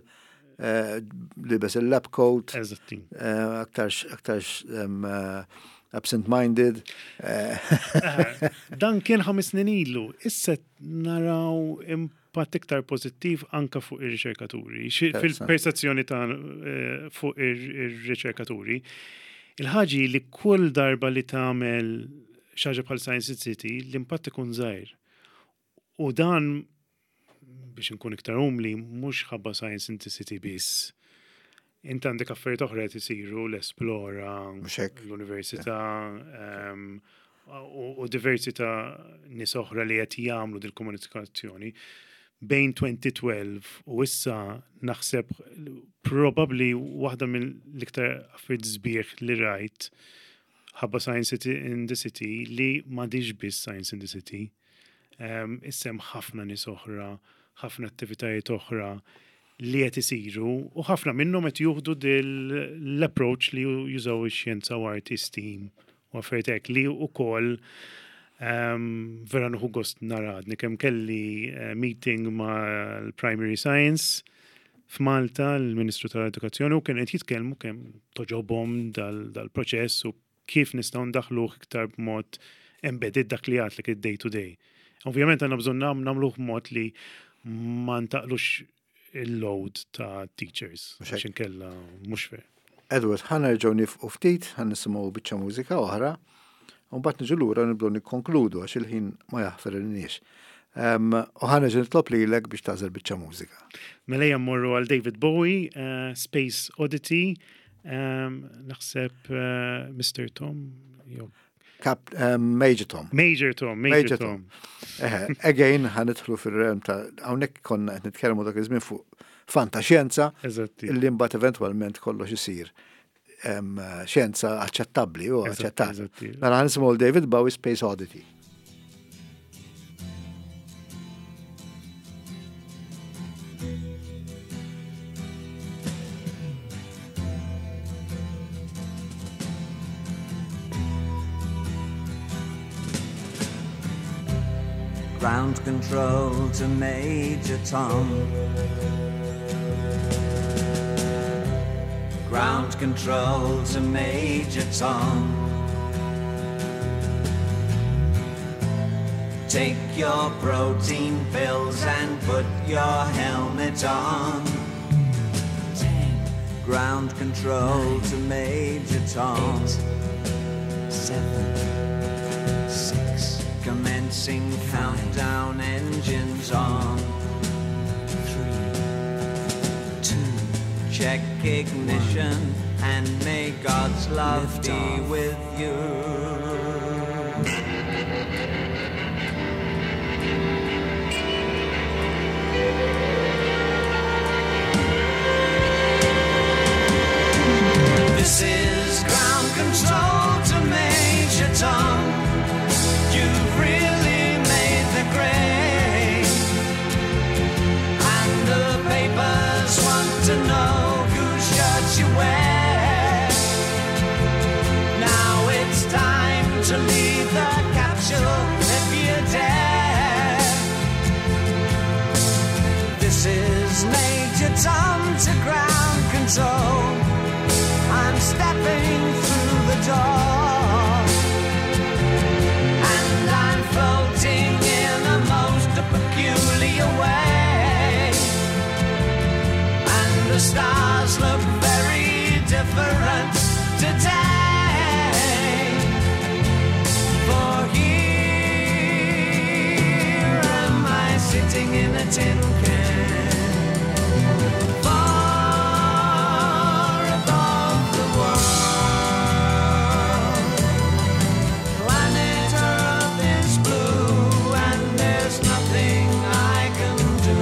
eh, libes il-lab coat, Eżatti. eh, aktarx aktarx em, eh, absent-minded. eh, Aha, Dan kien ħames snin ilu. Issa naraw impatt iktar pożittiv anka fuq ir-riċerkaturi. Xi- Interessanti. Fil-percezzjoni ta' eh, fuq ir-riċerkaturi. Il-ħaġa li kull darba li tagħmel xi ħaġa bħal Science City, l-impatt ikun żgħir. U dan, biex nkun iktar umli, mhux ħabba Science in the City biss. Int għandek affarijiet oħra qed isiru, l-Esplora, Mhux hekk. l-Università, um, u, u diversi ta' nies oħra li qed jagħmlu dil-komunikazzjoni. Bejn elfejn u tnax u issa naħseb probably waħda mill-iktar affarijiet sbieħ li rajt ħabba Science City in the City li m'għadhiex biss Science in the City. Um, issa hemm ħafna nies oħra, ħafna attivitajiet oħra li qed isiru u ħafna minnhom qed juħdu l-approach li jużaw ix-xjenza u arti, STEAM u affarijiet hekk li wkoll um, vera nieħu gost nara. Għadni kemm kelli eh, meeting ma' l-Primary Science f'Malta, l-Ministru tal-Edukazzjoni, u kien qed jitkellmu kemm togħġobhom dal-proċess u kif nistgħu ndaħluh iktar b'mod embedded, dak li għedtlek, id-day to day. Ovvjament għandna bżonn nam nagħmluh b'mod li ma ntaqlux il-load ta' teachers, Mhux hekk. għax inkella mhux fair. Edward, ħa nerġgħu nieqfu ftit, ħa nisimgħu biċċa mużika oħra, u mbagħad niġu lura nibdew nikkonkludu għax il-ħin ma jaħfer Um, u ħa nerġa' nitlob lilek biex tagħżel biċċa mużika. Mela ejja mmorru għal David Bowie, uh, Space Oddity, um, naħseb uh, Mister Tom, jew Cap, um, Major Tom. Major Tom, Major, Major Tom. Eħe, again, ħa nidħlu fir-realm ta' hawnhekk konna qed nitkellmu dak iż-żmien fuq fantaxjenza Eżatti. illi mbagħad eventwalment kollox isir em, xjenza aċċettabbli u Eżatti, aċċettat. eżatti. Mela ħa nisimgħu David Bowie, Space Oddity. Ground control to Major Tom. Ground control to Major Tom. Take your protein pills and put your helmet on. Ten, Ground control to Major Tom. eight, seven, six, Commencing countdown, engines on. three, two, Check ignition and may God's love Lift be off. with you. This is ground control to Major Tom. You've really made the grade. And the papers want to know whose shirt you wear. Now it's time to leave the capsule if you dare. This is Major Tom to ground control. I'm stepping through the door. And I'm floating in a most peculiar way. And the stars look very different today. For here am I sitting in a tin can. Far above the world. Planet Earth is blue, and there's nothing I can do.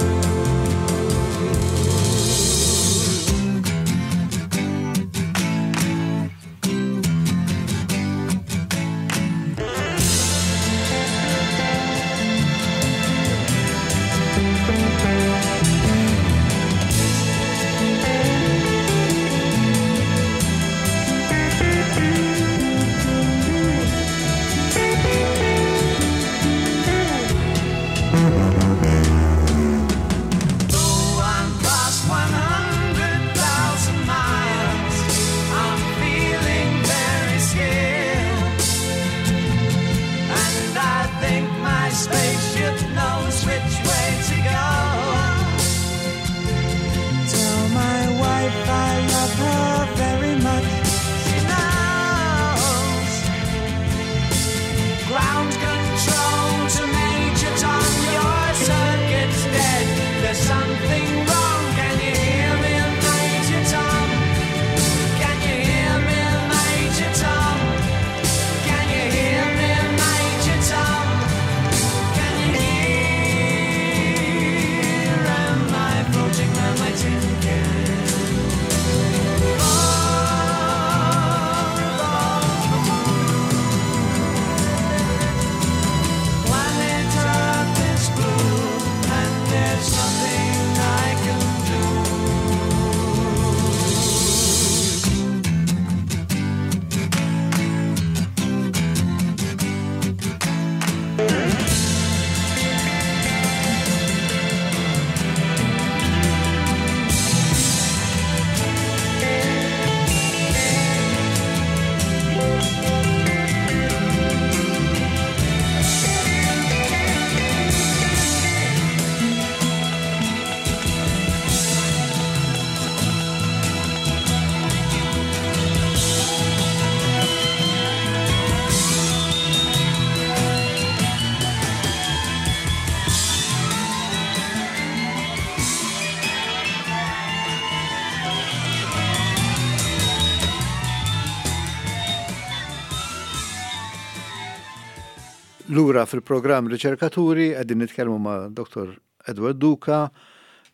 Lura fil-programm Riċerkaturi qegħdin nitkellmu ma' Dottor Edward Duca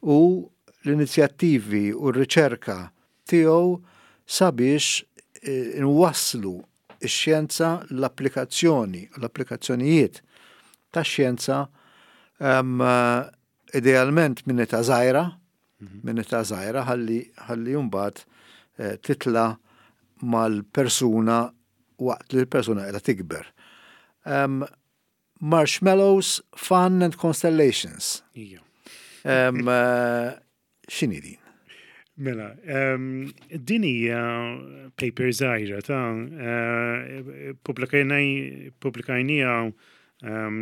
u l-inizjattivi u r-riċerka tiegħu sabiex eh, nwasslu x-xjenza, l-applikazzjoni, l-applikazzjonijiet tax-xjenza um, idealment minn età żgħira, minn età żgħira ħalli ħalli mbagħad eh, titla mal-persuna waqt li l-persuna qiegħda tikber. Um, Marshmallows, Fun and Constellations. Ija. Um, uh, x'inhi din? Mela, um, din hija paper żgħira ta' uh, pubblikajnieha um,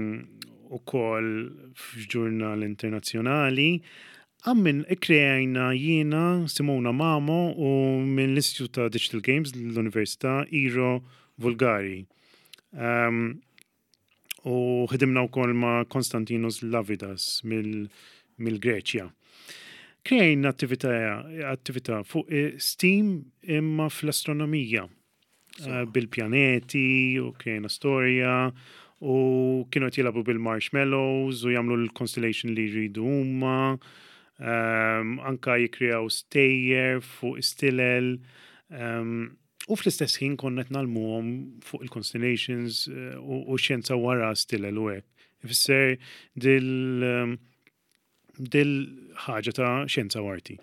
ukoll f'ġurnal internazzjonali. Għammin ikkreajna jiena Simona Mamo u minn l-Istitut ta' Digital Games l-Università Iro Vulgari. Um, u ħidimna wkoll ma' Konstantinos Lavidas mill-Greċja. Kreajna attività attività fuq eh, STEAM imma fl-astronomija. Eh, bil-pjaneti u kreajna storja u kienu qed jilagħbu bil-marshmallows u jagħmlu l-constellation li jridu huma. Um, anka jikreaw stejjer fuq stilel. Um, u fl-istess ħin konna qed ngħallmuhom fuq il-constellations eh, u, u xjenza wara stilel u hekk. Ifisser dil um, dil ħaġa ta' xjenza u arti.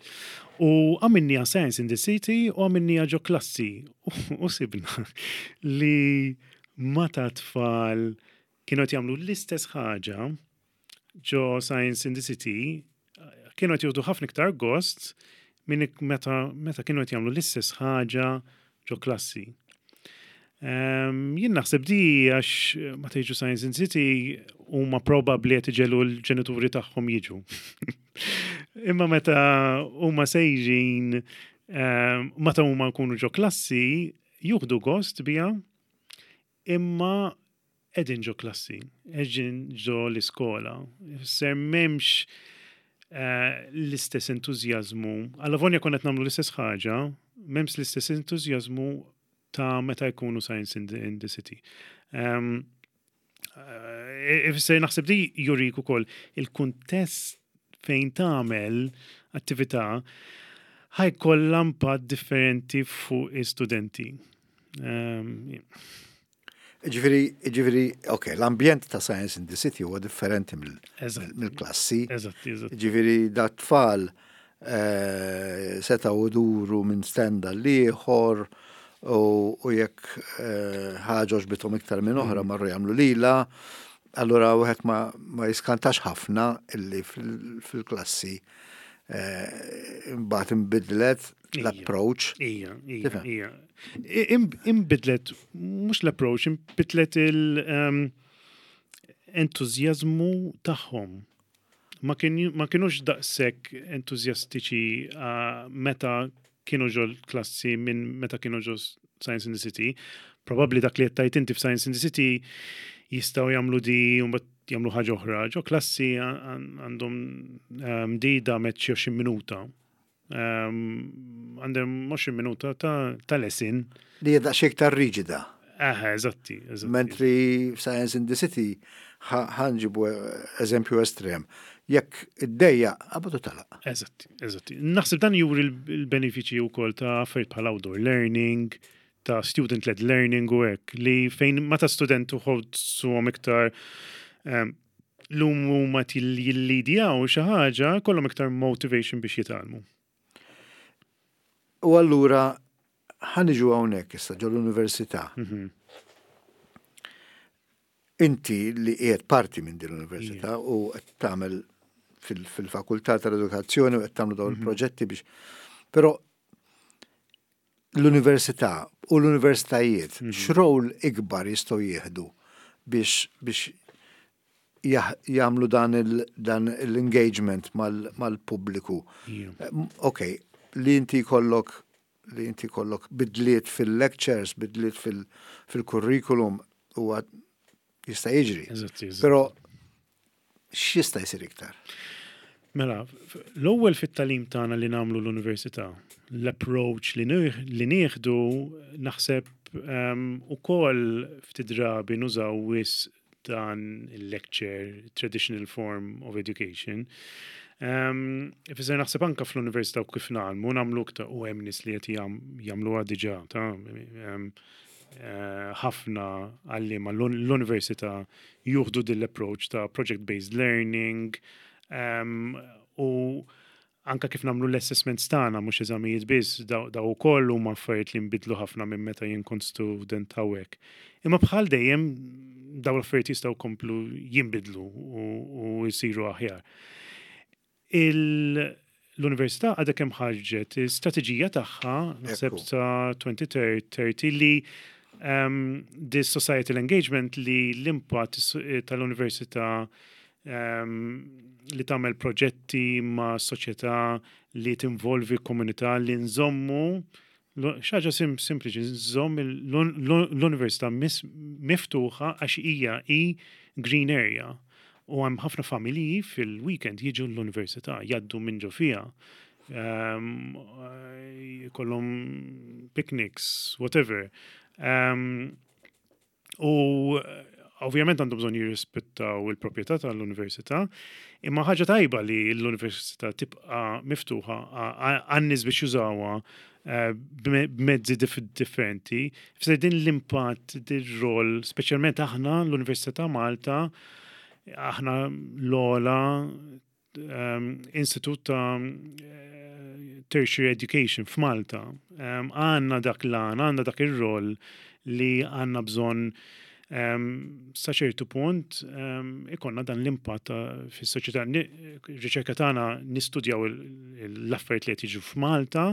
U għamilnieha Science in the City u għamilnieha ġo klassi. U sibna li meta tfal kienu qed jagħmlu l-istess ħaġa ġo Science in the City, kienu qed jieħdu ħafna iktar gost minn meta, meta kienu qed jagħmlu l-istess ħaġa ġo klassi. Um, jien naħseb di għax meta jiġu Science in the City huma probabbli qed iġegħlu l-ġenituri tagħhom jiġu. Imma meta huma sejrin, um, meta huma jkunu ġo klassi, jieħdu gost biha, imma qegħdin ġo klassi, qegħdin ġo l-iskola. Ser m'hemmx uh, l-istess entużjażmu. Allavolja konna qed nagħmlu l-istess ħaġa, m'hemmx l-istess entużjażmu ta' meta jkunu Science in the, in the City. Um, uh, Ifisser naħseb di jurik ukoll il-kuntest fejn tagħmel attività ħa jkollha impatt differenti fuq istudenti. Um, Ġifieri, ġifieri, ok, l-ambjent ta' Science in the City huwa differenti Eżatt. mill-klassi. Eżatt, eżatt. Ġifieri, da tfal eh, setgħu iduru minn stand għal ieħor u u jekk eh, ħaġa għoġbithom iktar minn oħra marru jagħmlu lila, allura wieħed ma, ma jiskantax ħafna illi fil- fil-klassi eh, imbagħad inbidlet Ija. l-approach. Ija, ija, Tifhem? ija. I- im- Imbidlet, mhux l-approach, imbidlet il-entużjażmu tagħhom. Ma kien- ma kienux daqshekk entużjastiċi uh, meta kienu ġo l-klassi minn meta kienu ġo Science in the City. Probabbli dak li qed tgħid inti f'Science in the City jistgħu jagħmlu di u mbagħad jagħmlu ħaġa oħra. Ġo klassi għan- għandhom um, di damet xi għoxrin minuta. Um, Għandhom għoxrin minuta ta', ta' lesson. Li hija daqsxejn iktar riġida. Aha, eżatti, eżatti. Mentri Science in the City ħa nġibu eżempju estrem. Jekk id-dejja, qabad u telaq. Eżatti, eżatti. Naħseb dan juri l-benefiċi wkoll ta' affarijiet bħal outdoor learning, ta' student-led learning u hekk, li fejn meta student uħodsuhom iktar um, l-lum huma jillidjaw xi ħaġa, kollhom iktar motivation biex jitgħallmu. U allura ħa niġu hawnhekk issa ġo l-università. Mhm. Inti li qiegħed parti minn din l-università u qed tagħmel fil- fil-fakultà tal-edukazzjoni u qed tagħmlu dawn il-proġetti biex. Però l-università u l-universitajiet x'rol ikbar jistgħu jieħdu biex biex jah- jagħmlu dan il- dan l-engagement mal- mal-pubbliku. Ija. Ok, li inti kollok li inti kollok bidliet fil-lectures, bidliet fil- fil-curriculum huwa jista' jiġri. Eżatti, eżatti. Però x'jista' jsir iktar? Mela, f- l-ewwel fit-tagħlim tagħna li nagħmlu l-università, l-approach li nieħ- li nieħdu naħseb um, ukoll ftit drabi nużaw wisq dan il-lecture, traditional form of education. Um, Ifisser naħseb anka fl-università u kif nagħmlu, nagħmlu iktar u hemm nies li qed jam- jagħmluha diġà ta' um, eh, ħafna għalliema l-università juħdu din l-approach ta' project-based learning um, u anka kif nagħmlu l-assessments tagħna mhux eżamijiet biss, daw daw ukoll huma affarijiet li nbidlu ħafna minn meta jien kont student hawnhekk. Imma bħal dejjem daw l-affarijiet jistgħu komplu jinbidlu u, u jsiru aħjar. Il- L-Università għadha kemm ħarġet strateġija tagħha naħseb Ekku. ta' elfejn u tletin li um, this societal engagement, li l-impatt tal-università um, li tagħmel proġetti ma' soċjetà, li tinvolvi komunità, li nżommu xaġa sim sempliċi, nżomm l-università miftuħa għax hija i green area. U hemm ħafna familji fil-weekend jiġu l-università, jgħaddu minn ġo fiha. Um, kollhom picnics, whatever. Um, u ovvjament għandhom bżonn jirrispettaw il-proprjetà tal-università, imma ħaġa tajba li l-università tibqa' miftuħa għan-nies biex jużawha eh, b'mezzi differenti. Ifisser din l-impatt, din rol, speċjalment aħna l-Università ta' Malta, aħna l-ogħla um, institut ta' eh, tertiary education f'Malta. Um, għandna dak l-għan, għandna dak ir-rol li għandna bżonn um, sa ċertu punt um, ikollna dan l-impatt fis-soċjetà. Riċerka tagħna nistudjaw l-affarijiet li qed jiġu f'Malta,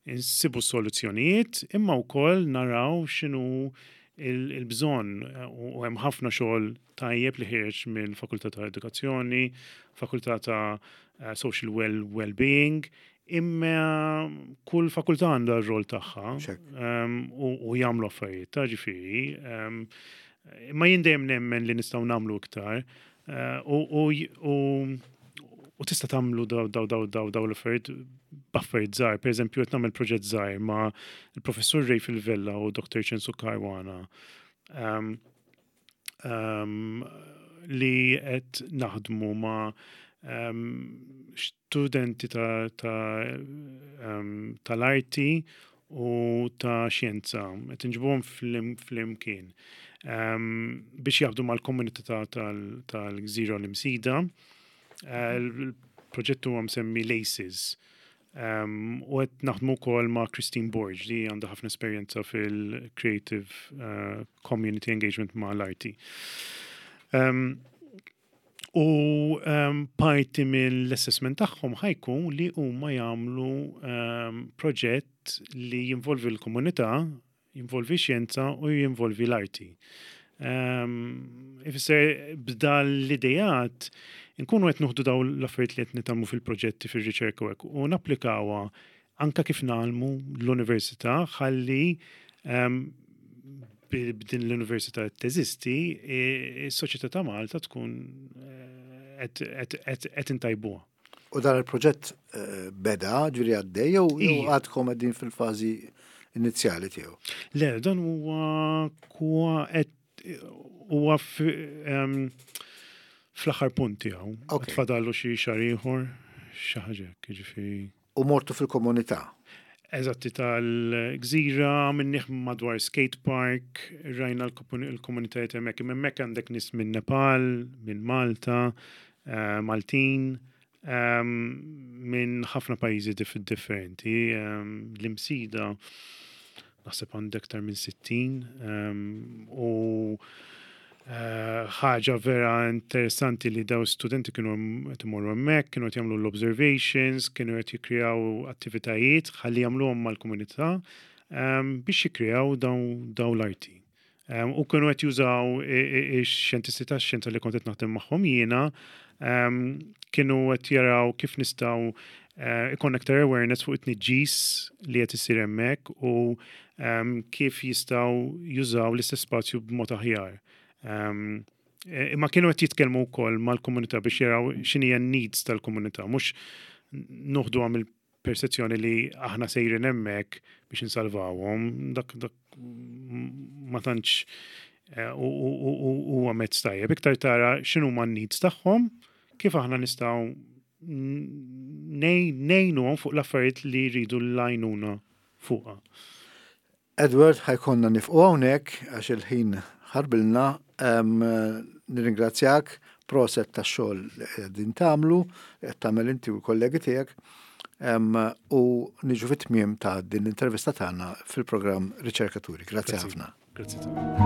insibu soluzzjonijiet, imma wkoll naraw x'inhu il-bżonn u hemm ħafna xogħol tajjeb li ħireġ mill-Fakultà ta' Edukazzjoni, Fakultà ta' eh, Social well Well-being, imma kull fakultà għandha r-rol tagħha um, u jagħmlu affarijiet ta' ġifieri. Um, imma jien dejjem nemmen li nistgħu nagħmlu iktar uh, u u tista' tagħmlu daw daw daw daw daw l-affarijiet b'affarijiet żgħar. Pereżempju, qed nagħmel proġett żgħir ma' il-professur Ray Vella u Doktor Censu Caruana um, um, li qed naħdmu ma' um, studenti ta' ta' um, tal-arti u ta' xjenza, qed inġibuhom flimkien um, biex jaħdmu mal-komunità tal-Gżira l-Imsida. Uh, il-proġett huwa msemmi LACES. Um, u qed naħdmu wkoll ma' Christine Borg li għandha ħafna esperjenza fil-creative uh, community engagement ma' l-arti. Um, u um, parti mill-assessment tagħhom ħa jkun li huma jagħmlu um, proġett li jinvolvi l-komunità, jinvolvi xjenza u jinvolvi l-arti. Um, ifisser b'dal l-idejat nkunu qed nuħdu daw l-affarijiet li qed nitgħallmu fil-proġetti, fir-riċerka u hekk u napplikawha anka kif nagħmlu l-università ħalli um, b'din l-università teżisti, is-soċjetà ta' Malta tkun qed intajbuha. U dan il-proġett eh, beda, ġifieri għaddej, jew għadkom qegħdin fil-fażi inizjali tiegħu? Le, dan huwa kwa qed huwa fl-aħħar punt tiegħu. Fadallu xi xahar ieħor, xi ħaġa hekk, jiġifieri. U mortu fil-komunità? Eżatti, tal-Gżira, minniħ madwar skate park, rajna l-komunitajiet hemmhekk. Hemmhekk għandek nies minn Nepal, minn Malta, eh, Maltin, minn ħafna pajjiżi differenti. L-Imsida naħseb għandek aktar minn sittin u eh, ħaġa vera interessanti li daw studenti kienu qed imorru hemmhekk, kienu qed jagħmlu l-observations, kienu qed jikkreaw attivitajiet ħalli jagħmluhom mal-komunità biex jikkreaw daw l-arti. U kienu qed jużaw ix-xjentisti tax-xjenza li kont qed naħdem magħhom jiena, kienu qed jaraw kif nistgħu eh, ikun aktar awareness fuq it-tniġġis li qed isir hemmhekk u kif jistgħu jużaw l-istess spazju b'mod aħjar. E, imma kienu qed jitkellmu wkoll mal-komunità biex jaraw x'inhi n-needs tal-komunità, mhux noħdu għam il-persezzjoni li aħna sejrin hemmhekk biex insalvawhom, dak dak ma tantx Eh, U u- u- huwa mezz tajjeb. Iktar tara x'inhuma n-needs tagħhom, kif aħna nistgħu ngħinuhom fuq l-affarijiet li jridu l-għajnuna fuqha. Edward, ħa jkollna nieqfu hawnhekk għax il-ħin ħarbilna. em, Nirringrazzjak, proset tax-xogħol li qegħdin tagħmlu, qed tagħmel inti u l-kollegi tiegħek. em, U niġu fit-tmiem ta' din l-intervista tagħna fil-programm Riċerkaturi. Grazzi Grazzi. ħafna. Grazzi ta'